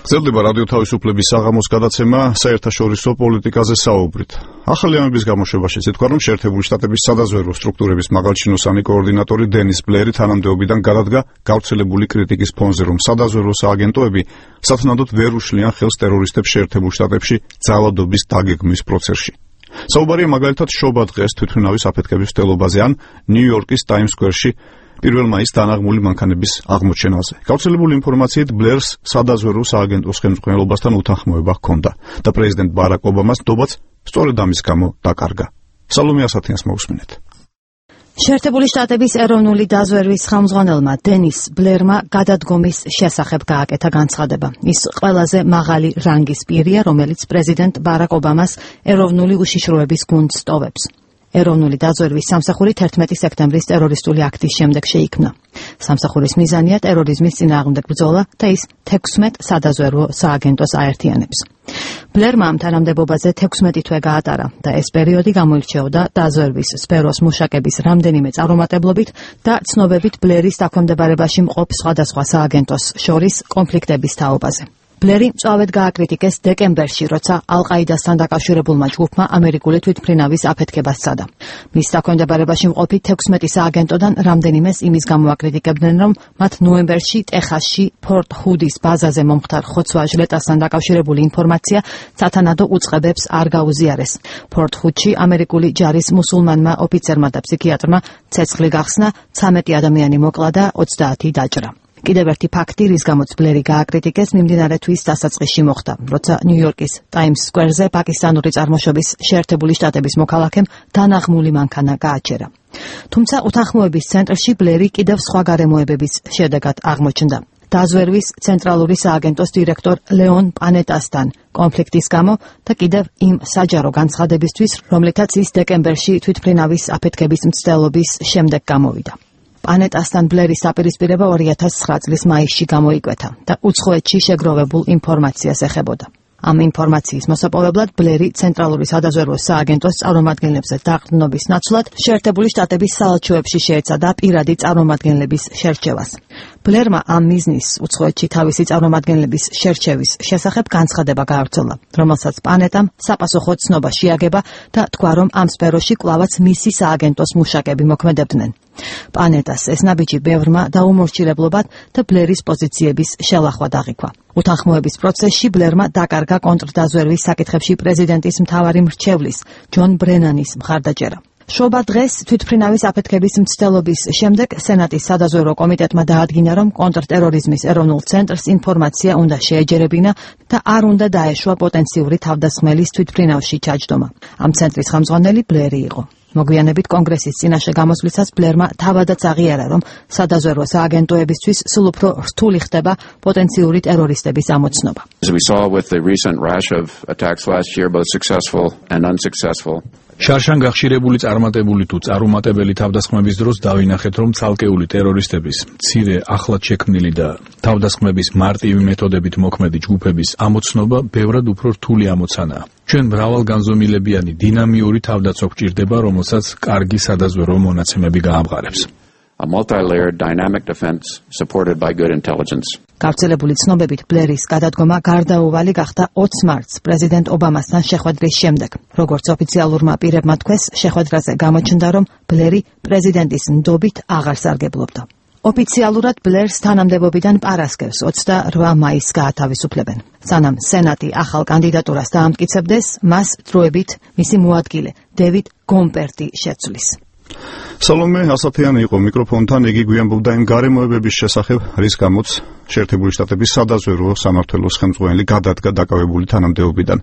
გრძელდება რადიო თავისუფლების საღამოს გადაცემა საერთაშორისო პოლიტიკაზე საუბრით. ახალი ამების გამოშვებაში თქვა, რომ შეერთებული შტატების სადაზვერვო სტრუქტურების მაღალჩინოსანი კოორდინატორი დენის ბლერი თანამდებობიდან გადადგა გავრცელებული კრიტიკის ფონზე, რომ სადაზვერვო სააგენტოები სათანადოდ ვერ უშლიან ხელს ტერორისტებს შეერთებულ შტატებში ძალადობის დაგეგმვის პროცესში. საუბარია მაგალითად შობა დღეს თვითმფრინავის აფეთქების მცდელობაზე ან ნიუ-იორკის ტაიმს სკვერში 1 მაისს დანაღმული მანქანების აღმოჩენაზე. გავრცელებული ინფორმაციით ბლერს სადაზვერვო სააგენტოს ხელმძღვანელობასთან უთანხმოება ჰქონდა და პრეზიდენტ ბარაკ ობამას ნდობაც სწორედ ამის გამო დაკარგა. სალომე ასათიანს მოусმინეთ. შეერთებული შტატების ეროვნული დაზვერვის ხელმძღვანელმა დენის ბლერმა გადადგომის შესახებ გააკეთა განცხადება. ის ყველაზე მაღალი რანგის პირია, რომელიც პრეზიდენტ ბარაკ ობამას ეროვნული უშიშროების გუნდს ტოვებს. ეროვნული დაზვერვის სამსახური 11 სექტემბრის ტერორისტული აქტის შემდეგ შეიქმნა. სამსახურის მიზანია ტერორიზმის წინააღმდეგ ბრძოლა და ის 16 სადაზვერვო სააგენტოს აერთიანებს. ბლერმა ამ თანამდებობაზე 16 თვე გაატარა და ეს პერიოდი გამოირჩეოდა დაზვერვის სფეროს მუშაკების რამდენიმე წარუმატებლობით და ცნობებით ბლერის დაქვემდებარებაში მყოფ სხვადასხვა სააგენტოს შორის კონფლიქტების თაობაზე. ბლერი მწვავედ გააკრიტიკეს დეკემბერში, როცა ალ-ყაიდასთან დაკავშირებულმა ჯგუფმა ამერიკული თვითმფრინავის აფეთქებას სცადა. მის დაქვემდებარებაში მყოფი 16 სააგენტოდან რამდენიმეს იმის გამო აკრიტიკებდნენ, რომ მათ ნოემბერში ტეხასში ფორტ ჰუდის ბაზაზე მომხდარ ხოცვა ჟლეტასთან დაკავშირებული ინფორმაცია სათანადო უწყებებს არ გაუზიარეს. ფორტ ჰუდში ამერიკული ჯარის მუსულმანმა ოფიცერმა და ფსიქიატრმა ცეცხლი გახსნა, 13 ადამიანი მოკლა და 30 დაჭრა. კიდევ ერთი ფაქტი, რის გამოც ბლერი გააკრიტიკეს, მიმდინარე თვის დასაწყისში მოხდა, როცა ნიუ-იორკის ტაიმს სკვერზე პაკისტანური წარმოშობის შეერთებული შტატების მოქალაქემ დანაღმული მანქანა გააჩერა. თუმცა უთანხმოების ცენტრში ბლერი კიდევ სხვა გარემოებების შედეგად აღმოჩნდა. დაზვერვის ცენტრალური სააგენტოს დირექტორ ლეონ პანეტასთან კონფლიქტის გამო და კიდევ იმ საჯარო განცხადებისთვის, რომლითაც ის დეკემბერში თვითმფრინავის აფეთქების მცდელობის შემდეგ გამოვიდა. პანეტასთან ბლერის დაპირისპირება 2009 წლის მაისში გამოიკვეთა და უცხოეთში შეგროვებულ ინფორმაციას ეხებოდა. ამ ინფორმაციის მოსაპოვებლად ბლერი ცენტრალური სადაზვერვო სააგენტოს წარმომადგენლებზე დაყრდნობის ნაცვლად შეერთებული შტატების საელჩოებში შეეცადა პირადი წარმომადგენლების შერჩევას. ბლერმა ამ მიზნის უცხოეთში თავისი წარმომადგენლების შერჩევის შესახებ განცხადება გაავრცელა, რომელსაც პანეტამ საპასუხო ცნობა შეაგება და თქვა, რომ ამ სფეროში კვლავაც მისი სააგენტოს მუშაკები მოქმედებდნენ. პანეტას ეს ნაბიჯი ბევრმა დაუმორჩილებლობად და ბლერის პოზიციების შელახვა დაღიქვა. უთანხმოების პროცესში ბლერმა დაკარგა კონტრდაზვერვის საკითხებში პრეზიდენტის მთავარი მრჩევლის ჯონ ბრენანის მხარდაჭერა. შობა დღეს თვითმფრინავის აფეთქების მცდელობის შემდეგ სენატის სადაზვერვო კომიტეტმა დაადგინა, რომ კონტრტერორიზმის ეროვნულ ცენტრს ინფორმაცია უნდა შეეჯერებინა და არ უნდა დაეშვა პოტენციური თავდასხმელის თვითმფრინავში ჩაჯდომა. ამ ცენტრის ხელმძღვანელი ბლერი იყო. მოგვიანებით კონგრესის წინაშე გამოსვლისას ბლერმა თავადაც აღიარა, რომ სადაზვერვო სააგენტოებისთვის სულ უფრო რთული ხდება პოტენციური ტერორისტების ამოცნობა. შარშან გახშირებული წარმატებული თუ წარუმატებელი თავდასხმების დროს დავინახეთ, რომ ცალკეული ტერორისტების მცირე ახლად შექმნილი და თავდასხმების მარტივი მეთოდებით მოქმედი ჯგუფების ამოცნობა ბევრად უფრო რთული ამოცანაა. ჩვენ მრავალგანზომილებიანი დინამიური თავდაცვა გვჭირდება, რომელსაც კარგი სადაზვერვო მონაცემები გაამყარებს. A multi-layered dynamic defense supported by good intelligence. გავრცელებული ცნობებით ბლერის გადადგომა გარდაუვალი გახდა 20 მარტს პრეზიდენტ ობამასთან შეხვედრის შემდეგ. როგორც ოფიციალურმა პირებმა თქვეს, შეხვედრაზე გამოჩნდა, რომ ბლერი პრეზიდენტის ნდობით აღარ სარგებლობდა. ოფიციალურად ბლერს თანამდებობიდან პარასკევს 28 მაისს გაათავისუფლებენ. სანამ სენატი ახალ კანდიდატურას დაამტკიცებდეს, მას დროებით მისი მოადგილე დევიდ გომპერტი შეცვლის. სალომე ასათიანი იყო მიკროფონთან, იგი გვიანბობდა იმ გარემოებების შესახებ, რის გამოც შეერთებული შტატების სადაზვერვო სამმართველოს ხელმძღვანელი გადადგა დაკავებული თანამდებობიდან.